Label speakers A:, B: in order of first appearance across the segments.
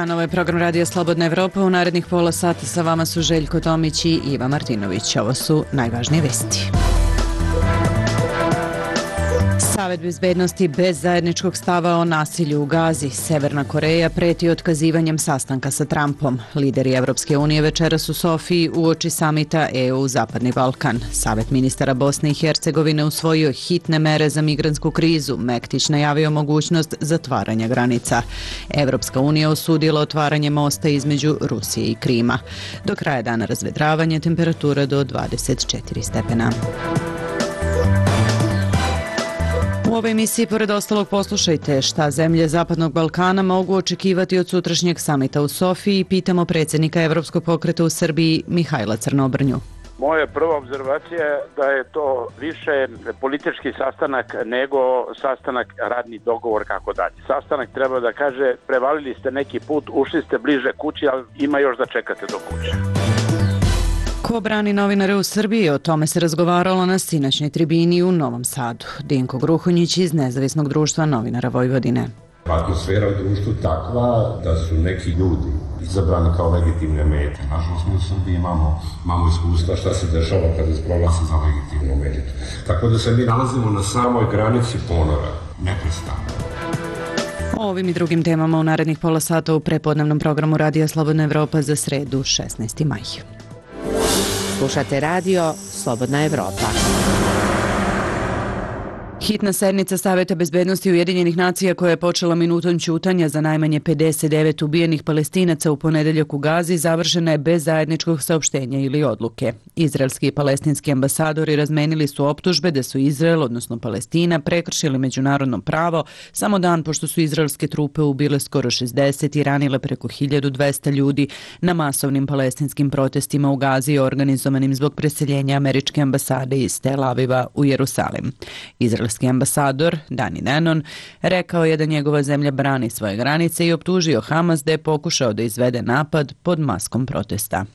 A: dan, ovo je program Radija Slobodna Evropa. U narednih pola sata sa vama su Željko Tomić i Iva Martinović. Ovo su najvažnije vesti. Savet bezbednosti bez zajedničkog stava o nasilju u Gazi. Severna Koreja preti otkazivanjem sastanka sa Trumpom. Lideri Evropske unije večeras u Sofiji uoči samita EU-Zapadni Balkan. Savet ministara Bosne i Hercegovine usvojio hitne mere za migrantsku krizu. Mektić najavio mogućnost zatvaranja granica. Evropska unija osudila otvaranje mosta između Rusije i Krima. Do kraja dana razvedravanje, temperatura do 24 stepena. U ovoj emisiji, pored ostalog, poslušajte šta zemlje Zapadnog Balkana mogu očekivati od sutrašnjeg samita u Sofiji. Pitamo predsjednika Evropskog pokreta u Srbiji Mihajla Crnobrnju.
B: Moja prva obzervacija je da je to više politički sastanak nego sastanak, radni dogovor, kako dalje. Sastanak treba da kaže prevalili ste neki put, ušli ste bliže kući, ali ima još da čekate do kuće.
A: Ko brani novinare u Srbiji? O tome se razgovaralo na sinoćnoj tribini u Novom Sadu. Dinko Gruhonjić iz Nezavisnog društva novinara Vojvodine.
C: Atmosfera u društvu takva da su neki ljudi izabrani kao legitimne mete. Nažalost, mi u Srbiji imamo iskustva šta se dešava kada se proglasi za legitimnu metu. Tako da se mi nalazimo na samoj granici ponora, neprestano.
A: O ovim i drugim temama u narednih pola sata u prepodnevnom programu Radija Slobodna Evropa za sredu 16. maj.
D: Slušate radio Slobodna Evropa.
A: Hitna sednica Saveta bezbednosti Ujedinjenih nacija koja je počela minutom ćutanja za najmanje 59 ubijenih Palestinaca u ponedeljak u Gazi završena je bez zajedničkog saopštenja ili odluke. Izraelski i palestinski ambasadori razmenili su optužbe da su Izrael, odnosno Palestina, prekršili međunarodno pravo samo dan pošto su izraelske trupe ubile skoro 60 i ranile preko 1200 ljudi na masovnim palestinskim protestima u Gazi organizovanim zbog preseljenja američke ambasade iz Tel Aviva u Jerusalim. Izraelski ambasador Dani Danon rekao je da njegova zemlja brani svoje granice i optužio Hamas da je pokušao da izvede napad pod maskom protesta.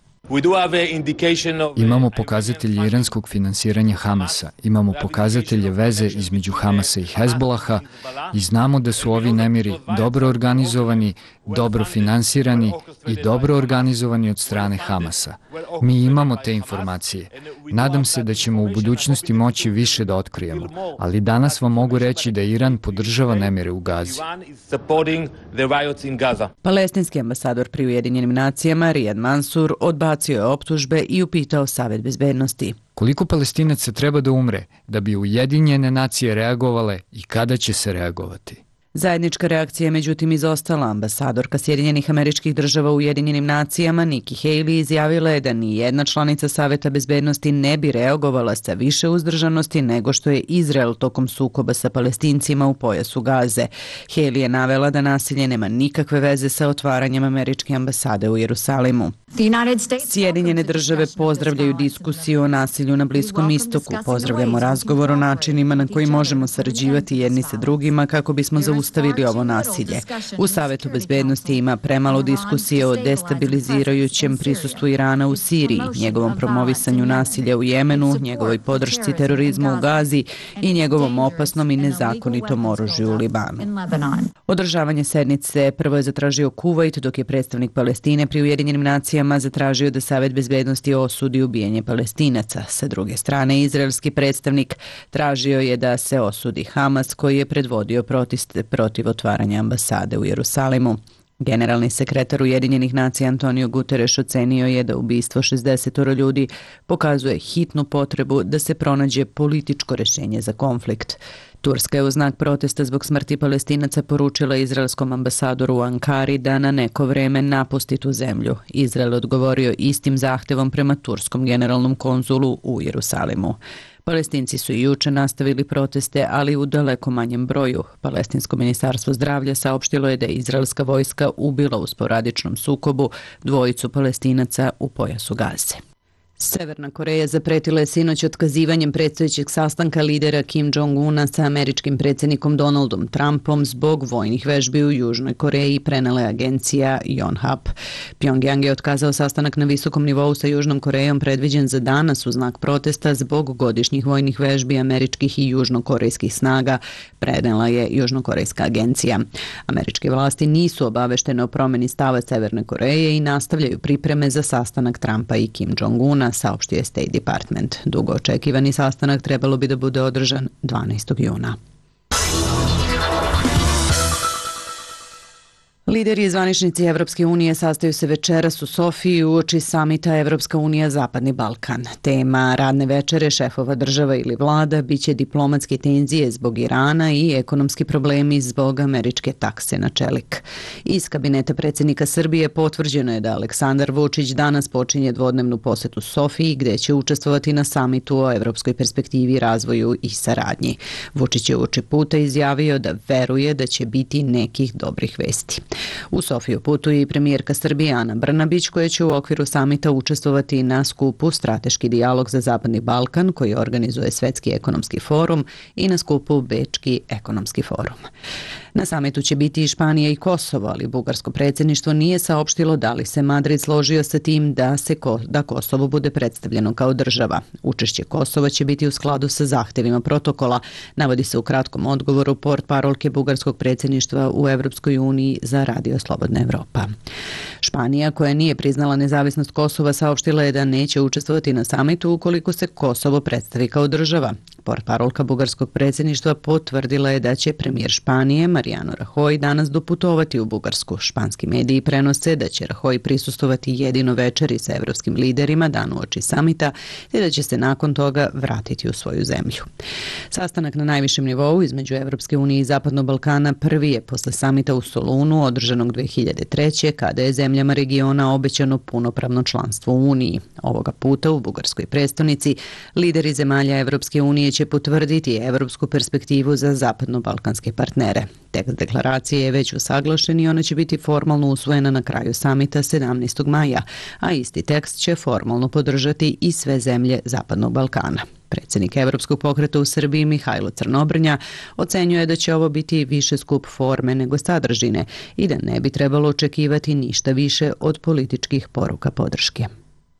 E: Imamo pokazatelje iranskog finansiranja Hamasa, imamo pokazatelje veze između Hamasa i Hezbolaha i znamo da su ovi nemiri dobro organizovani, dobro finansirani i dobro organizovani od strane Hamasa. Mi imamo te informacije. Nadam se da ćemo u budućnosti moći više da otkrijemo, ali danas vam mogu reći da Iran podržava nemire u Gazi.
A: Palestinski ambasador pri Ujedinjenim nacijama Riyad Mansour odbacio je optužbe i upitao Savet bezbednosti.
E: Koliko Palestinaca treba da umre da bi Ujedinjene nacije reagovale i kada će se reagovati?
A: Zajednička reakcija je međutim izostala. Ambasadorka Sjedinjenih Američkih Država u Ujedinjenim nacijama Nikki Haley izjavila je da ni jedna članica Saveta bezbednosti ne bi reagovala sa više uzdržanosti nego što je Izrael tokom sukoba sa Palestincima u pojasu Gaze. Haley je navela da nasilje nema nikakve veze sa otvaranjem američke ambasade u Jerusalimu. Sjedinjene države pozdravljaju diskusiju o nasilju na Bliskom istoku. Pozdravljamo razgovor o načinima na koji možemo sarađivati jedni sa drugima kako bismo zaustavili ovo nasilje. U Savetu bezbednosti ima premalo diskusije o destabilizirajućem prisustvu Irana u Siriji, njegovom promovisanju nasilja u Jemenu, njegovoj podršci terorizmu u Gazi i njegovom opasnom i nezakonitom oružju u Libanu. Održavanje sednice prvo je zatražio Kuvajt, dok je predstavnik Palestine pri Ujedinjenim nacijama zatražio da Savet bezbednosti osudi ubijanje Palestinaca. Sa druge strane, izraelski predstavnik tražio je da se osudi Hamas koji je predvodio proteste protiv otvaranja ambasade u Jerusalimu. Generalni sekretar Ujedinjenih nacija Antonio Guterres ocenio je da ubistvo 60 ljudi pokazuje hitnu potrebu da se pronađe političko rješenje za konflikt. Turska je u znak protesta zbog smrti Palestinaca poručila izraelskom ambasadoru u Ankari da na neko vreme napusti tu zemlju. Izrael odgovorio istim zahtevom prema turskom generalnom konzulu u Jerusalimu. Palestinci su i juče nastavili proteste, ali u daleko manjem broju. Palestinsko ministarstvo zdravlja saopštilo je da je izraelska vojska ubila u sporadičnom sukobu 2 Palestinaca u pojasu Gaze. Severna Koreja zapretila je sinoć otkazivanjem predstojećeg sastanka lidera Kim Jong-una sa američkim predsjednikom Donaldom Trumpom zbog vojnih vežbi u Južnoj Koreji, prenela je agencija Yonhap. Pjongjang je otkazao sastanak na visokom nivou sa Južnom Korejom predviđen za danas u znak protesta zbog godišnjih vojnih vežbi američkih i južnokorejskih snaga, prenela je južnokorejska agencija. Američke vlasti nisu obaveštene o promjeni stava Severne Koreje i nastavljaju pripreme za sastanak Trumpa i Kim Jong-una, saopštio je State Department. Dugo očekivani sastanak trebalo bi da bude održan 12. juna. Lideri i zvaničnici Evropske unije sastaju se večeras u Sofiji uoči samita Evropska unija Zapadni Balkan. Tema radne večere šefova država ili vlada biće diplomatske tenzije zbog Irana i ekonomski problemi zbog američke takse na čelik. Iz kabineta predsjednika Srbije potvrđeno je da Aleksandar Vučić danas počinje dvodnevnu posetu Sofiji gdje će učestvovati na samitu o evropskoj perspektivi, razvoju i saradnji. Vučić je uoči puta izjavio da veruje da će biti nekih dobrih vesti. U Sofiju putuje i premijerka Srbije Ana Brnabić, koja će u okviru samita učestvovati na skupu Strateški dijalog za Zapadni Balkan koji organizuje Svetski ekonomski forum i na skupu Bečki ekonomski forum. Na samitu će biti i Španija i Kosovo, ali bugarsko predsjedništvo nije saopštilo da li se Madrid složio sa tim da Kosovo bude predstavljeno kao država. Učešće Kosova će biti u skladu sa zahtjevima protokola, navodi se u kratkom odgovoru portparolke bugarskog predsjedništva u Evropskoj uniji za Radio Slobodna Evropa. Španija, koja nije priznala nezavisnost Kosova, saopštila je da neće učestvovati na samitu ukoliko se Kosovo predstavi kao država. Portparolka bugarskog predsjedništva potvrdila je da će premijer Španije Mariano Rajoy danas doputovati u Bugarsku. Španski mediji prenose da će Rajoy prisustovati jedino večeri sa evropskim liderima dan uoči samita te da će se nakon toga vratiti u svoju zemlju. Sastanak na najvišem nivou između Evropske unije i Zapadnog Balkana prvi je posle samita u Solunu održanog 2003. kada je zemljama regiona obećano punopravno članstvo u Uniji. Ovoga puta u bugarskoj prestonici lideri zemalja Evropske unije će potvrditi evropsku perspektivu za zapadno-balkanske partnere. Tekst deklaracije je već usaglašen i ona će biti formalno usvojena na kraju samita 17. maja, a isti tekst će formalno podržati i sve zemlje Zapadnog Balkana. Predsjednik Evropskog pokreta u Srbiji Mihajlo Crnobrnja ocenjuje da će ovo biti više skup forme nego sadržine i da ne bi trebalo očekivati ništa više od političkih poruka podrške.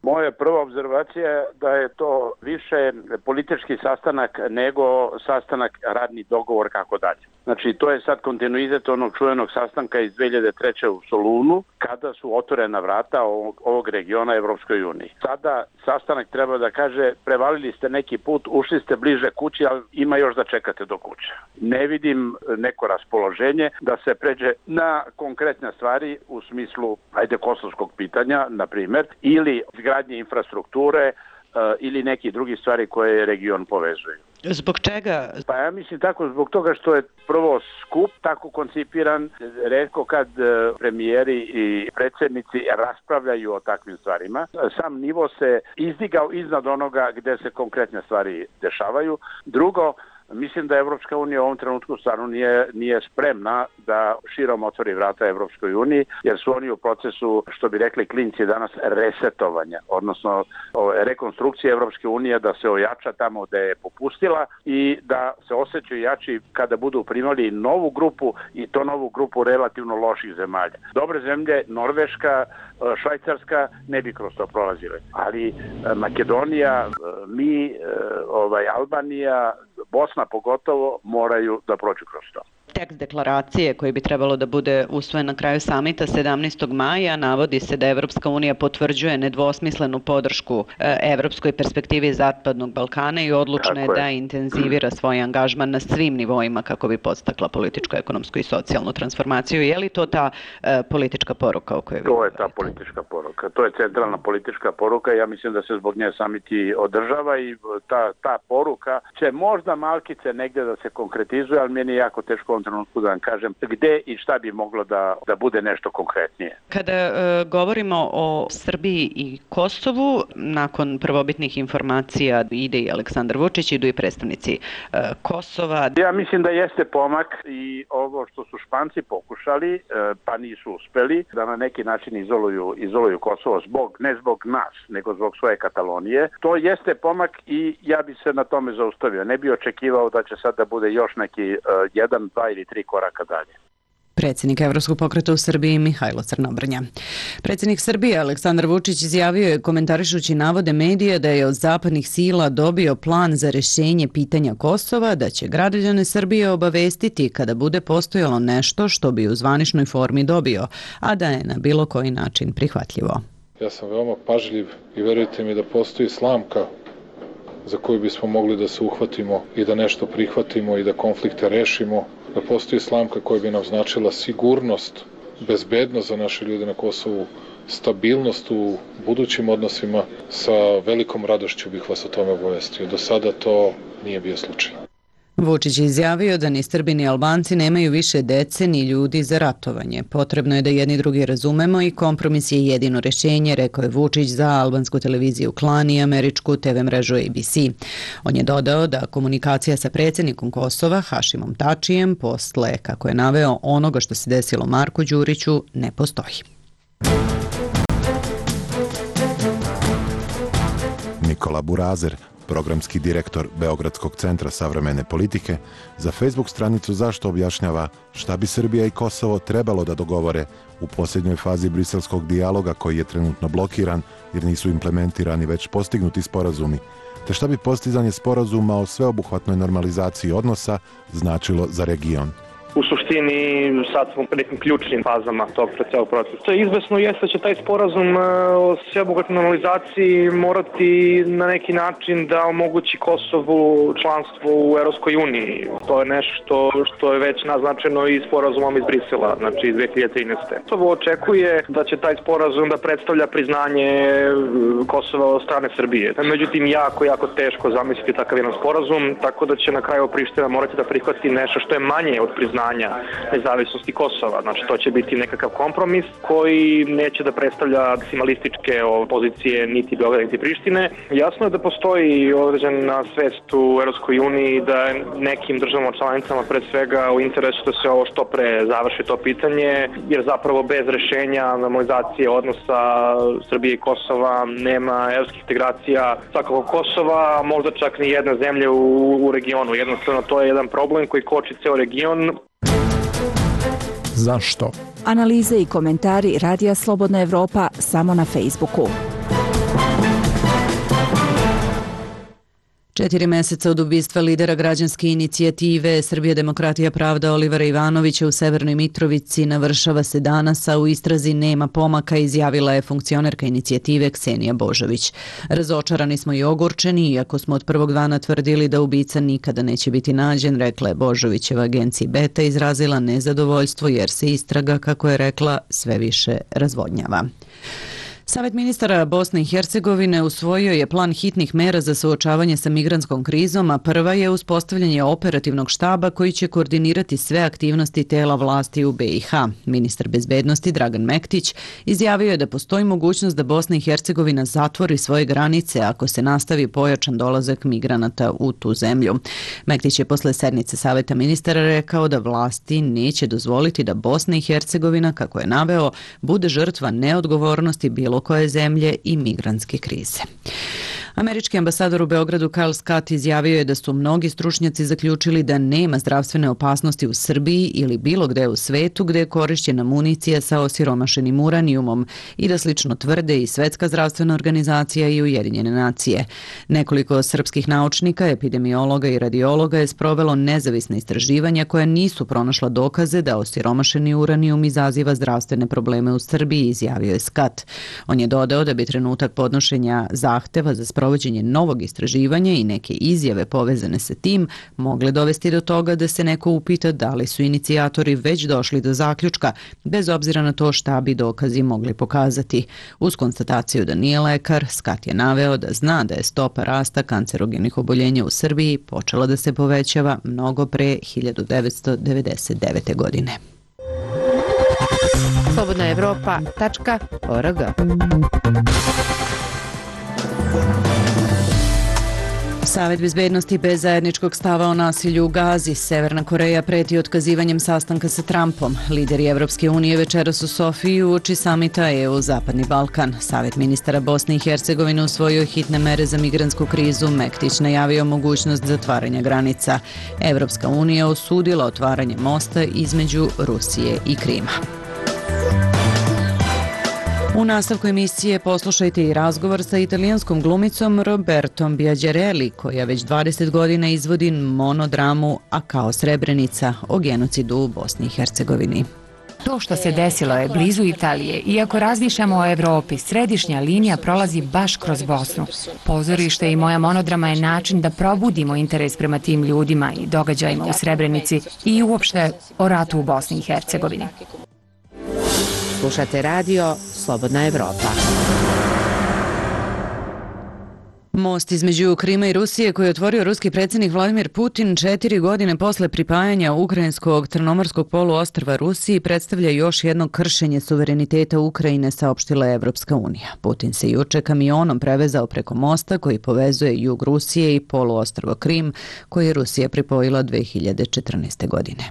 B: Moja prva obzervacija je da je to više politički sastanak nego sastanak radni dogovor kako dalje. Znači to je sad kontinuitet onog čuvenog sastanka iz 2003. u Solunu kada su otvorena vrata ovog regiona Evropskoj uniji. Sada sastanak treba da kaže prevalili ste neki put, ušli ste bliže kući, ali ima još da čekate do kuće. Ne vidim neko raspoloženje da se pređe na konkretne stvari u smislu kosovskog pitanja, na primjer, ili izgradnje infrastrukture ili neki drugi stvari koje region povezuju.
A: Zbog čega?
B: Pa ja mislim tako zbog toga što je prvo skup tako koncipiran, retko kad premijeri i predsjednici raspravljaju o takvim stvarima. Sam nivo se izdigao iznad onoga gde se konkretne stvari dešavaju. Drugo, mislim da Evropska unija u ovom trenutku stvarno nije spremna da širom otvori vrata Evropskoj uniji, jer su oni u procesu, što bi rekli klinci danas, resetovanja, odnosno rekonstrukcije Evropske unije, da se ojača tamo gde je popustila i da se osjećaju jači kada budu primali novu grupu i to novu grupu relativno loših zemalja. Dobre zemlje, Norveška, Švajcarska ne bi kroz to prolazile, ali Makedonija, Albanija, Bosna pogotovo moraju da prođu kroz to.
A: Tekst deklaracije koji bi trebalo da bude usvojen na kraju samita 17. maja navodi se da Evropska unija potvrđuje nedvosmislenu podršku evropskoj perspektivi Zapadnog Balkana i odlučna je da intenzivira svoj angažman na svim nivoima kako bi podstakla političku, ekonomsku i socijalnu transformaciju. Je li to ta politička poruka o kojoj vi govorite?
B: To je ta politička poruka. To je centralna politička poruka. Ja mislim da se zbog nje samiti održava i ta poruka će možda malkice negdje da se konkretizuje, ali meni je jako teško trenutku da vam kažem gde i šta bi moglo da bude nešto konkretnije.
A: Kada govorimo o Srbiji i Kosovu, nakon prvobitnih informacija ide i Aleksandar Vučić, idu i predstavnici Kosova.
B: Ja mislim da jeste pomak i ovo što su Španci pokušali, pa nisu uspeli, da na neki način izoluju Kosovo ne zbog nas, nego zbog svoje Katalonije. To jeste pomak i ja bi se na tome zaustavio. Ne bi očekivao da će sad da bude još neki 1, 2 ili 3 koraka dalje.
A: Predsjednik Evropskog pokreta u Srbiji Mihajlo Crnobrnja. Predsjednik Srbije Aleksandar Vučić izjavio je, komentarišući navode medija, da je od zapadnih sila dobio plan za rješenje pitanja Kosova, da će građane Srbije obavestiti kada bude postojalo nešto što bi u zvaničnoj formi dobio, a da je na bilo koji način prihvatljivo.
F: Ja sam veoma pažljiv i verujte mi da postoji slamka za koju bismo mogli da se uhvatimo i da nešto prihvatimo i da konflikte rešimo, da postoji slamka koja bi nam značila sigurnost, bezbednost za naše ljude na Kosovu, stabilnost u budućim odnosima, sa velikom radošću bih vas o tome obavestio. Do sada to nije bio slučaj.
A: Vučić je izjavio da ni Srbi ni Albanci nemaju više dece ni ljudi za ratovanje. Potrebno je da jedni drugi razumemo i kompromis je jedino rješenje, rekao je Vučić za albansku televiziju Klan i američku TV mrežu ABC. On je dodao da komunikacija sa predsjednikom Kosova, Hašimom Tačijem, posle, kako je naveo, onoga što se desilo Marku Đuriću, ne postoji.
G: Nikola Burazer, programski direktor Beogradskog centra savremene politike, za Facebook stranicu Zašto objašnjava šta bi Srbija i Kosovo trebalo da dogovore u posljednjoj fazi briselskog dijaloga koji je trenutno blokiran jer nisu implementirani već postignuti sporazumi, te šta bi postizanje sporazuma o sveobuhvatnoj normalizaciji odnosa značilo za region.
H: U suštini sad smo u nekim ključnim fazama tog celog procesa. Izvesno jeste da će taj sporazum o sveobuhvatnoj normalizaciji morati na neki način da omogući Kosovu članstvo u Europskoj uniji. To je nešto što je već naznačeno i sporazumom iz Brisela, znači iz 2013. Kosovo očekuje da će taj sporazum da predstavlja priznanje Kosova od strane Srbije. Međutim, jako teško zamisliti takav jedan sporazum, tako da će na kraju Priština morati da prihvati nešto što je manje od priznanja nezavisnosti Kosova. Znači, to će biti nekakav kompromis koji neće da predstavlja maksimalističke pozicije niti Beograda niti Prištine. Jasno je da postoji određena svest u Europskoj uniji da nekim državama članicama pre svega u interesu da se ovo što pre završi to pitanje, jer zapravo bez rešenja normalizacije odnosa Srbije i Kosova nema evropskih integracija svakako Kosova, možda čak ni jedne zemlje u regionu. Jednostavno, to je jedan problem koji koči ceo region.
I: Zašto?
J: Analize i komentari Radija Slobodna Evropa samo na Facebooku.
A: 4 meseca od ubistva lidera građanske inicijative Srbija demokratija pravda Olivera Ivanovića u Severnoj Mitrovici navršava se danas, a u istrazi nema pomaka, izjavila je funkcionerka inicijative Ksenija Božović. Razočarani smo i ogorčeni, iako smo od prvog dana tvrdili da ubica nikada neće biti nađen, rekla je Božovićeva agenciji Beta, izrazila nezadovoljstvo jer se istraga, kako je rekla, sve više razvodnjava. Savet ministara Bosne i Hercegovine usvojio je plan hitnih mera za suočavanje sa migrantskom krizom, a prva je uspostavljanje operativnog štaba koji će koordinirati sve aktivnosti tela vlasti u BiH. Ministar bezbednosti Dragan Mektić izjavio je da postoji mogućnost da Bosna i Hercegovina zatvori svoje granice ako se nastavi pojačan dolazak migranata u tu zemlju. Mektić je posle sednice Saveta ministara rekao da vlasti neće dozvoliti da Bosna i Hercegovina, kako je naveo, bude žrtva neodgovornosti bilo koje zemlje i migrantske krize. Američki ambasador u Beogradu Kyle Scott izjavio je da su mnogi stručnjaci zaključili da nema zdravstvene opasnosti u Srbiji ili bilo gde u svetu gde je korišćena municija sa osiromašenim uranijumom i da slično tvrde i Svetska zdravstvena organizacija i Ujedinjene nacije. Nekoliko srpskih naučnika, epidemiologa i radiologa je sprovelo nezavisna istraživanja koja nisu pronašla dokaze da osiromašeni uranijum izaziva zdravstvene probleme u Srbiji, izjavio je Scott. On je dodao da bi trenutak podnošenja zahteva za sprovođenje sprovođenje novog istraživanja i neke izjave povezane sa tim mogle dovesti do toga da se neko upita da li su inicijatori već došli do zaključka, bez obzira na to šta bi dokazi mogli pokazati. Uz konstataciju da nije lekar, Scott je naveo da zna da je stopa rasta kancerogenih oboljenja u Srbiji počela da se povećava mnogo pre 1999. godine.
D: slobodnaevropa.org.
A: Savet bezbednosti bez zajedničkog stava o nasilju u Gazi. Severna Koreja preti otkazivanjem sastanka sa Trumpom. Lideri Evropske unije večeras u Sofiji uoči samita EU-Zapadni Balkan. Savet ministara Bosne i Hercegovine usvojio hitne mere za migrantsku krizu. Mektić najavio mogućnost zatvaranja granica. Evropska unija osudila otvaranje mosta između Rusije i Krima. U nastavku emisije poslušajte i razgovor sa italijanskom glumicom Robertom Biađareli, koja već 20 godina izvodi monodramu A kao Srebrenica o genocidu u Bosni i Hercegovini.
I: To što se desilo je blizu Italije. Iako razmišljamo o Evropi, središnja linija prolazi baš kroz Bosnu. Pozorište i moja monodrama je način da probudimo interes prema tim ljudima i događajima u Srebrenici i uopšte o ratu u Bosni i Hercegovini.
D: Slušate radio Slobodna Evropa.
A: Most između Krima i Rusije koji je otvorio ruski predsjednik Vladimir Putin 4 godine posle pripajanja ukrajinskog Crnomorskog poluostrva Rusiji predstavlja još jedno kršenje suvereniteta Ukrajine, saopštila je Evropska unija. Putin se juče kamionom prevezao preko mosta koji povezuje jug Rusije i poluostrvo Krim, koji je Rusija pripojila 2014. godine.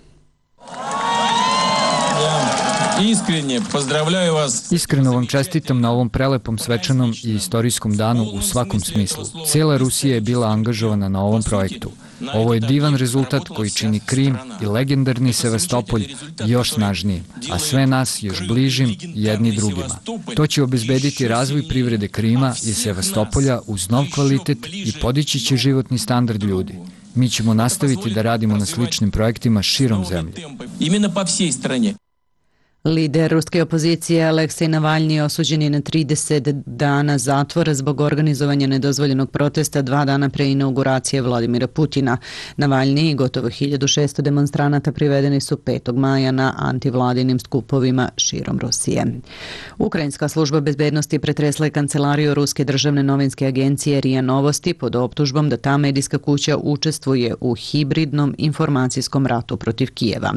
E: Iskreno vam čestitam na ovom prelepom svečanom i istorijskom danu u svakom smislu. Cijela Rusija je bila angažovana na ovom projektu. Ovo je divan rezultat koji čini Krim i legendarni Sevastopolj još snažnijim, a sve nas još bližim jedni drugima. To će obezbediti razvoj privrede Krima i Sevastopolja uz nov kvalitet i podići će životni standard ljudi. Mi ćemo nastaviti da radimo na sličnim projektima širom zemlje.
A: Lider ruske opozicije Aleksej Navalnji osuđen je na 30 dana zatvora zbog organizovanja nedozvoljenog protesta 2 dana pre inauguracije Vladimira Putina. Navalnji i gotovo 1600 demonstranata privedeni su 5. maja na antivladinim skupovima širom Rusije. Ukrajinska služba bezbednosti pretresla je kancelariju Ruske državne novinske agencije RIA Novosti pod optužbom da ta medijska kuća učestvuje u hibridnom informacijskom ratu protiv Kijeva.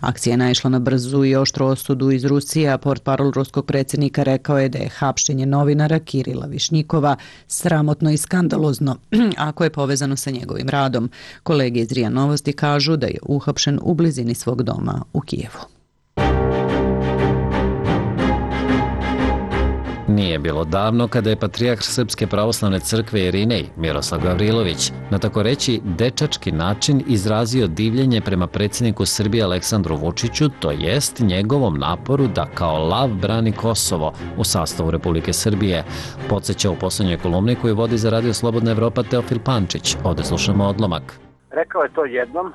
A: Akcija je naišla na brzu i oštru osudu iz Rusije, a portparol ruskog predsjednika rekao je da je hapšenje novinara Kirila Višnjikova sramotno i skandalozno ako je povezano sa njegovim radom. Kolege iz RIA Novosti kažu da je uhapšen u blizini svog doma u Kijevu.
K: Nije bilo davno kada je patrijarh Srpske pravoslavne crkve Irinej, Miroslav Gavrilović, na tako reći dečački način izrazio divljenje prema predsjedniku Srbije Aleksandru Vučiću, to jest njegovom naporu da kao lav brani Kosovo u sastavu Republike Srbije. Podseća u poslednjoj kolumni koju vodi za Radio Slobodna Evropa Teofil Pančić. Ovde slušamo odlomak.
B: Rekao je to jednom,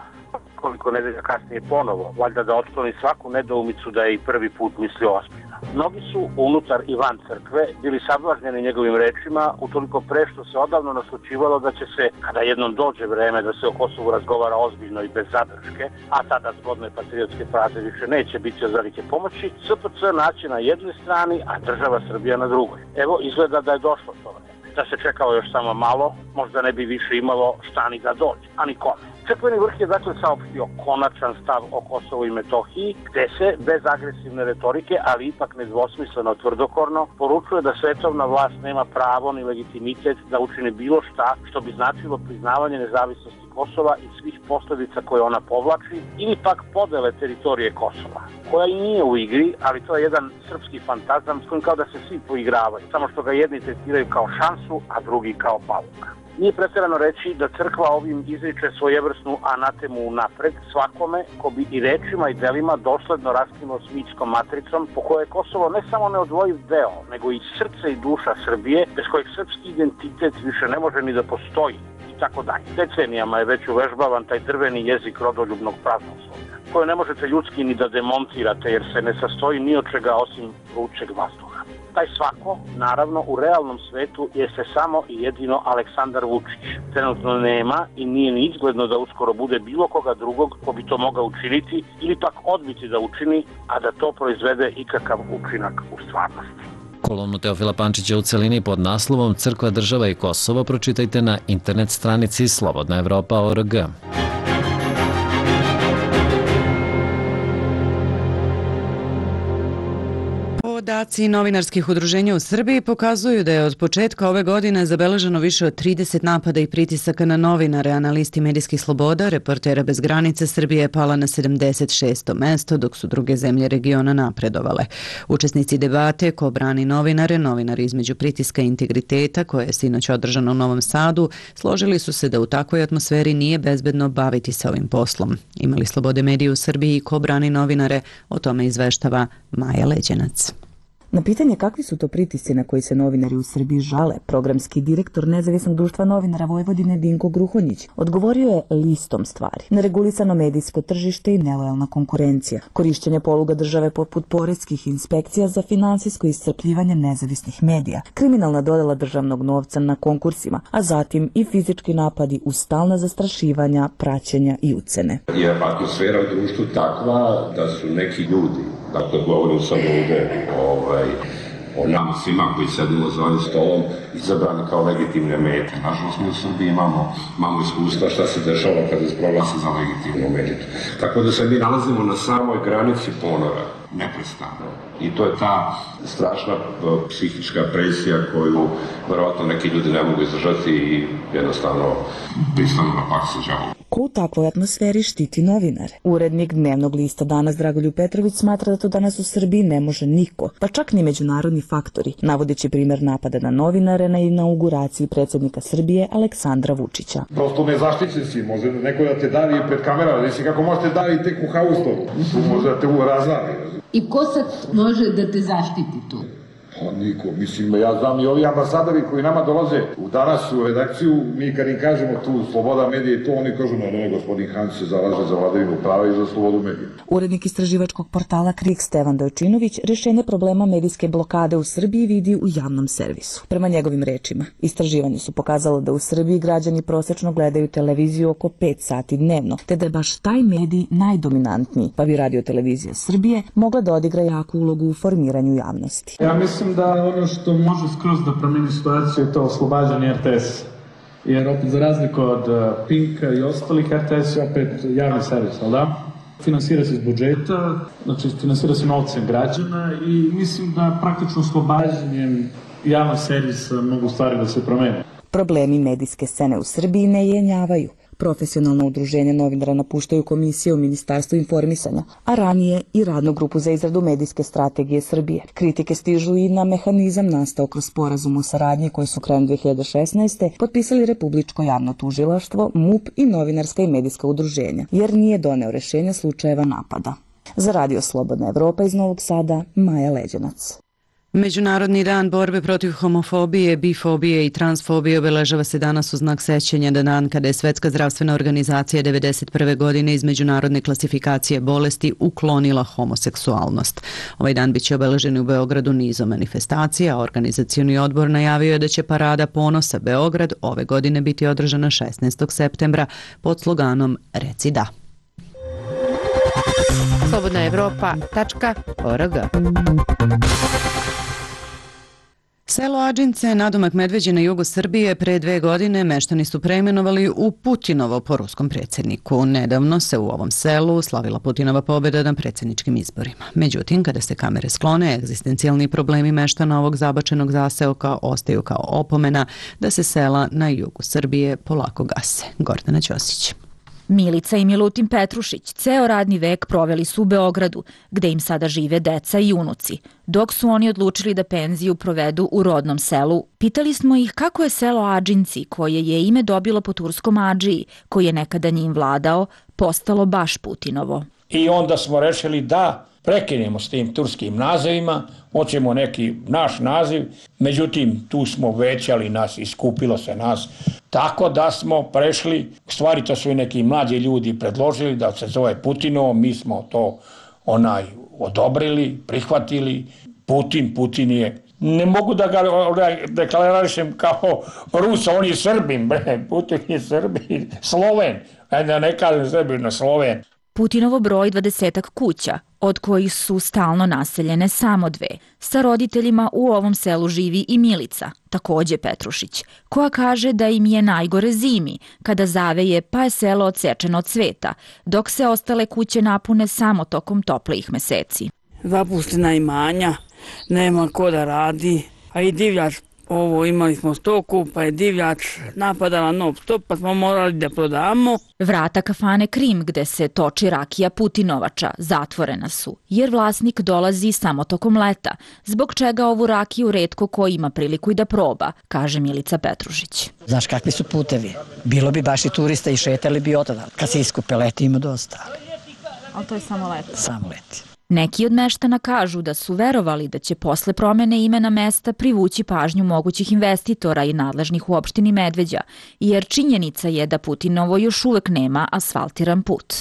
B: koliko nedelja kasnije ponovo, valjda da otkloni svaku nedoumicu da je i prvi put mislio ozbiljno. Mnogi su unutar i van crkve bili sablažnjeni njegovim rečima, utoliko pre što se odavno naslučivalo da će se, kada jednom dođe vreme da se o Kosovu razgovara ozbiljno i bez zadrške, a tada zgodne patriotske fraze više neće biti od velike pomoći, SPC naći na jednoj strani, a država Srbija na drugoj. Evo, izgleda da je došlo to vreme. Da se čekalo još samo malo, možda ne bi više imalo šta ni da dođe, a ni kome. Crkveni vrh je dakle saopštio konačan stav o Kosovu i Metohiji, gde se, bez agresivne retorike, ali ipak nedvosmisleno tvrdokorno, poručuje da svetovna vlast nema pravo ni legitimitet da učini bilo šta što bi značilo priznavanje nezavisnosti Kosova i svih posljedica koje ona povlači, ili pak podele teritorije Kosova, koja i nije u igri, ali to je jedan srpski fantazam s kojim kao da se svi poigravaju, samo što ga jedni tretiraju kao šansu, a drugi kao paluka. Nije pretjerano reći da crkva ovim izriče svojevrsnu anatemu napred svakome ko bi i rečima i delima dosledno raskinuo s mitskom matricom po kojoj je Kosovo ne samo neodvojiv deo, nego i srce i duša Srbije, bez kojeg srpski identitet više ne može ni da postoji i tako dalje. Decenijama je već uvežbavan taj drveni jezik rodoljubnog praznoslovlja, koje ne možete ljudski ni da demontirate jer se ne sastoji ni od čega osim vrućeg vazduha. Taj svako, naravno, u realnom svetu je se samo i jedino Aleksandar Vučić. Trenutno nema i nije ni izgledno da uskoro bude bilo koga drugog ko bi to mogao učiniti ili pak odbiti da učini, a da to proizvede ikakav učinak u stvarnosti.
K: Kolumnu Teofila Pančića u celini pod naslovom Crkva, država i Kosovo pročitajte na internet stranici slobodnaevropa.org.
A: Podaci novinarskih udruženja u Srbiji pokazuju da je od početka ove godine zabeleženo više od 30 napada i pritisaka na novinare, a na listi medijskih sloboda Reportera bez granice Srbije je pala na 76. mesto, dok su druge zemlje regiona napredovale. Učesnici debate Ko brani novinare, novinari između pritiska i integriteta, koje je sinoć održano u Novom Sadu, složili su se da u takvoj atmosferi nije bezbedno baviti se ovim poslom. Imali slobode medije u Srbiji i Ko brani novinare, o tome izveštava Maja Leđenac.
L: Na pitanje kakvi su to pritisci na koji se novinari u Srbiji žale, programski direktor Nezavisnog društva novinara Vojvodine Dinko Gruhonjić odgovorio je listom stvari. Neregulisano medijsko tržište i nelojalna konkurencija, korišćenje poluga države poput poreskih inspekcija za finansijsko iscrpljivanje nezavisnih medija, kriminalna dodela državnog novca na konkursima, a zatim i fizički napadi uz stalna zastrašivanja, praćenja i ucene.
C: Je atmosfera u društvu takva da su neki ljudi, dakle govorim sad ovde o nama svima koji sedimo za ovim stolom, izabrani kao legitimne mete. Nažalost, mi u Srbiji imamo iskustva šta se dešava kada se proglasi za legitimnu metu. Tako da se mi nalazimo na samoj granici ponora, neprestano. I to je ta strašna psihička presija koju verovatno neki ljudi ne mogu izdržati i jednostavno pristanu na pak sa đavolom.
L: Ko u takvoj atmosferi štiti novinare? Urednik Dnevnog lista Danas Dragoljub Petrović smatra da to danas u Srbiji ne može niko, pa čak ni međunarodni faktori, navodeći primer napada na novinare na inauguraciji predsjednika Srbije Aleksandra Vučića.
M: Prosto nezaštićen si, može neko da te davi pred kamerama, da si kako možete davi tek u haustovu, može da te razlavi.
N: I ko sad može da te zaštiti tu?
M: Niko, mislim, ja znam i ovi ambasadori koji nama dolaze danas u redakciju, mi kad im kažemo tu sloboda medija i to, oni kažu ne, gospodin Han se zalaže za vladavinu prava i za slobodu medija.
L: Urednik istraživačkog portala KRIK Stevan Dojčinović rješenje problema medijske blokade u Srbiji vidi u javnom servisu. Prema njegovim rečima, istraživanje su pokazalo da u Srbiji građani prosečno gledaju televiziju oko 5 sati dnevno, te da je baš taj medij najdominantniji, pa bi Radio-televizija Srbije mogla da odigra jaku ulogu u formiranju javnosti.
O: Ja mislim da ono što može skroz da promeni situaciju je to oslobađanje RTS. Jer opet za razliku od Pinka i ostalih, RTS je opet javni servis, ali da? Finansira se iz budžeta, znači finansira se novcem građana i mislim da praktično oslobađanjem javnog servisa mogu stvari da se promene.
L: Problemi medijske scene u Srbiji ne jenjavaju. Profesionalno udruženje novinara napuštaju komisije u Ministarstvu informisanja, a ranije i radnu grupu za izradu medijske strategije Srbije. Kritike stižu i na mehanizam nastao kroz sporazum o saradnji koji su krajem 2016. potpisali Republičko javno tužilaštvo, MUP i novinarska i medijska udruženja, jer nije doneo rešenja slučajeva napada. Za Radio Slobodna Evropa iz Novog Sada, Maja Leđenac.
A: Međunarodni dan borbe protiv homofobije, bifobije i transfobije obeležava se danas u znak sećanja na dan kada je Svetska zdravstvena organizacija 1991. godine iz međunarodne klasifikacije bolesti uklonila homoseksualnost. Ovaj dan biće obeležen u Beogradu nizom manifestacija, a organizacioni odbor najavio je da će Parada ponosa Beograd ove godine biti održana 16. septembra pod sloganom Reci da.
D: slobodnaevropa.org.
A: Selo Adžince, nadomak Medveđe na jugu Srbije, pre 2 godine meštani su preimenovali u Putinovo po ruskom predsjedniku. Nedavno se u ovom selu slavila Putinova pobjeda na predsjedničkim izborima. Međutim, kada se kamere sklone, egzistencijalni problemi meštana ovog zabačenog zaseoka ostaju kao opomena da se sela na jugu Srbije polako gase. Gordana Ćosić.
P: Milica i Milutin Petrušić ceo radni vek proveli su u Beogradu, gde im sada žive deca i unuci. Dok su oni odlučili da penziju provedu u rodnom selu, pitali smo ih kako je selo Adžinci, koje je ime dobilo po turskom Adžiji, koji je nekada njim vladao, postalo baš Putinovo.
Q: I onda smo rešili da prekinemo s tim turskim nazivima, hoćemo neki naš naziv, međutim tu smo većali nas, iskupilo se nas, tako da smo prešli, u stvari to su i neki mlađi ljudi predložili da se zove Putinovo, mi smo to odobrili, prihvatili. Putin je Ne mogu da ga deklararišem kao Rus, on je Srbin, bre, Putin je Srbin, Sloven, da ne kažem Srbin, no Sloven.
P: Putinovo broj 20-ak kuća, od kojih su stalno naseljene samo 2. Sa roditeljima u ovom selu živi i Milica, takođe Petrušić, koja kaže da im je najgore zimi, kada zaveje pa je selo odsečeno od sveta, dok se ostale kuće napune samo tokom toplijih meseci.
R: Zapuštena imanja, nema ko da radi, a i divljač, imali smo stoku, pa je divljač napadala non stop, pa smo morali da prodamo.
P: Vrata kafane Krim, gde se toči rakija Putinovača, zatvorena su, jer vlasnik dolazi samo tokom leta, zbog čega ovu rakiju retko ko ima priliku i da proba, kaže Milica Petrušić.
S: Znaš kakvi su putevi? Bilo bi baš i turista i šetali bi otada. Kad se iskupe leti ima dosta.
P: Ali to je samo leti?
S: Samo leti.
P: Neki od meštana kažu da su verovali da će posle promene imena mesta privući pažnju mogućih investitora i nadležnih u opštini Medveđa, jer činjenica je da Putinovo još uvek nema asfaltiran put.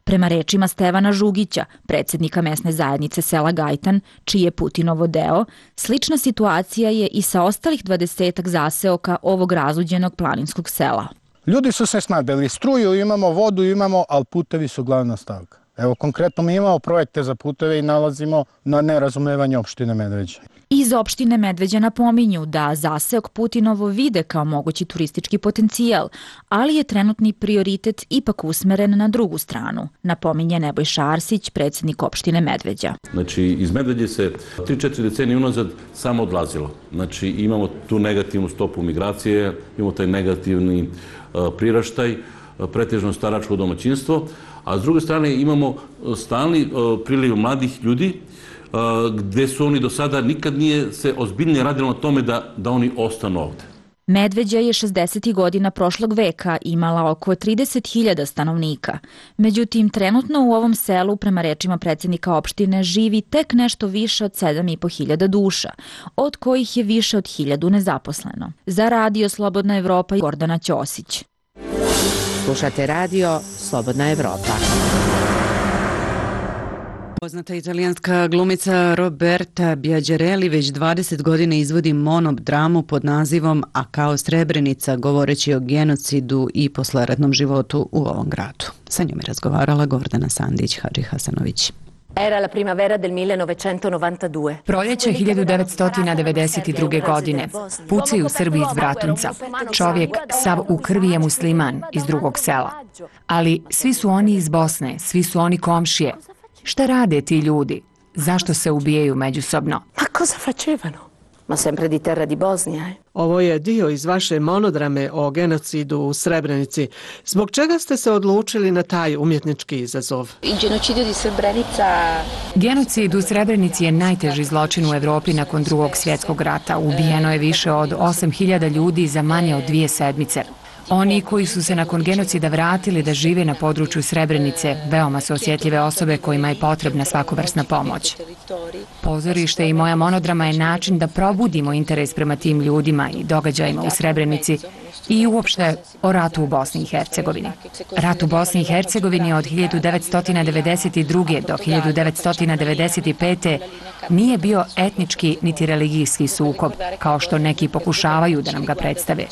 P: Prema rečima Stevana Žugića, predsjednika mesne zajednice sela Gajtan, čiji je Putinovo deo, slična situacija je i sa ostalih 20-ak zaseoka ovog razuđenog planinskog sela.
T: Ljudi su se snabdeli, struju imamo, vodu imamo, ali putevi su glavna stavka. Evo, konkretno mi imamo projekte za puteve i nalazimo na nerazumevanje opštine Medveđa.
P: Iz opštine Medveđa napominju da zaseok Putinovo vide kao mogući turistički potencijal, ali je trenutni prioritet ipak usmeren na drugu stranu, napominje Nebojša Arsić, predsjednik opštine Medveđa.
U: Znači, iz Medveđe se 3-4 decenije unazad samo odlazilo. Znači, imamo tu negativnu stopu migracije, imamo taj negativni priraštaj, pretežno staračko domaćinstvo, a s druge strane imamo stalni priliv mladih ljudi gde su oni do sada nikad nije se ozbiljnije radilo na tome da oni ostanu ovde.
P: Medveđa je 60. godina prošlog veka imala oko 30.000 stanovnika. Međutim, trenutno u ovom selu, prema rečima predsjednika opštine, živi tek nešto više od 7.500 duša, od kojih je više od 1.000 nezaposleno. Za Radio Slobodna Evropa Gordana Ćosić.
D: Slušate radio Slobodna Evropa.
A: Poznata italijanska glumica Roberta Biagereli već 20 godina izvodi monodramu pod nazivom A kao Srebrenica, govoreći o genocidu i posleratnom životu u ovom gradu. Sa njom je razgovarala Gordana Sandić-Hadži Hasanović.
V: Era la primavera del 1992.
I: Proljeće 1992. godine. Pucaju u Srbiji iz Bratunca. Čovjek sav u krvi je musliman iz drugog sela. Ali svi su oni iz Bosne, svi su oni komšije. Šta rade ti ljudi? Zašto se ubijaju međusobno?
V: Ma cosa facevano? Ma sempre di terra di Bosnia.
W: Ovo je dio iz vaše monodrame o genocidu u Srebrenici. Zbog čega ste se odlučili na taj umjetnički izazov?
I: Genocid u Srebrenici je najteži zločin u Evropi nakon Drugog svjetskog rata. Ubijeno je više od 8.000 ljudi za manje od 2 sedmice. Oni koji su se nakon genocida vratili da žive na području Srebrenice, veoma su osjetljive osobe kojima je potrebna svakovrsna pomoć. Pozorište i moja monodrama je način da probudimo interes prema tim ljudima i događajima u Srebrenici i uopšte o ratu u Bosni i Hercegovini. Rat u Bosni i Hercegovini od 1992. do 1995. nije bio etnički niti religijski sukob, kao što neki pokušavaju da nam ga predstave.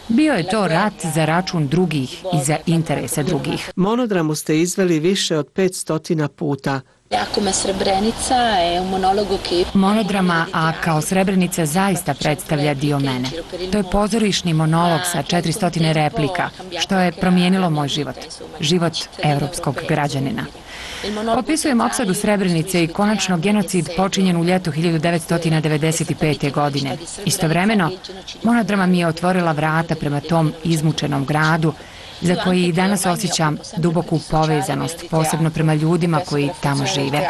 I: Bio je to rat za račun drugih i za interese drugih.
W: Monodramu ste izveli više od 500 puta.
I: Monodrama A kao Srebrenica zaista predstavlja dio mene. To je pozorišni monolog sa 400 replika, što je promijenilo moj život, život evropskog građanina. Opisujem opsadu Srebrenice i konačno genocid počinjen u ljetu 1995. godine. Istovremeno, monodrama mi je otvorila vrata prema tom izmučenom gradu, za koji i danas osjećam duboku povezanost, posebno prema ljudima koji tamo žive.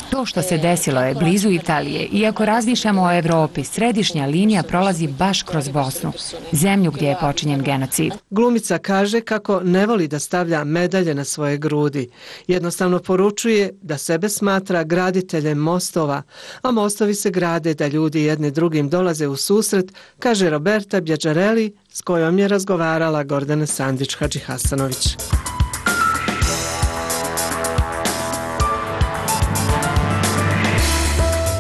I: To što se desilo je blizu Italije, iako razmišljamo o Evropi, središnja linija prolazi baš kroz Bosnu, zemlju gdje je počinjen genocid.
W: Glumica kaže kako ne voli da stavlja medalje na svoje grudi. Jednostavno poručuje da sebe smatra graditeljem mostova, a mostovi se grade da ljudi jedni drugim dolaze u susret, kaže Roberta Biagereli, s kojom je razgovarala Gordana Sandić-Hadži Hasanović.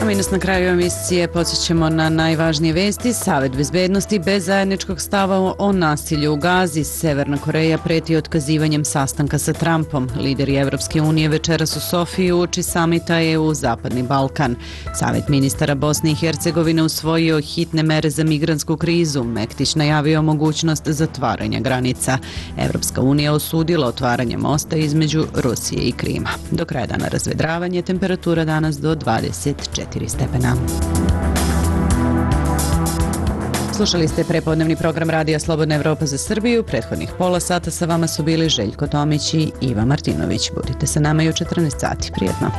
A: A mi nas na kraju emisije podsjećamo na najvažnije vesti. Savet bezbednosti bez zajedničkog stava o nasilju u Gazi. Severna Koreja preti otkazivanjem sastanka sa Trumpom. Lideri Evropske unije večeras u Sofiji uoči samita EU Zapadni Balkan. Savet ministara Bosne i Hercegovine usvojio hitne mere za migrantsku krizu. Mektić najavio mogućnost zatvaranja granica. Evropska unija osudila otvaranje mosta između Rusije i Krima. Do kraja dana razvedravanje, temperatura danas do 24 stepena. Slušali ste prepodnevni program Radija Slobodna Evropa za Srbiju. Prethodnih pola sata sa vama su bili Željko Tomić i Iva Martinović. Budite sa nama i u 14 sati. Prijetno.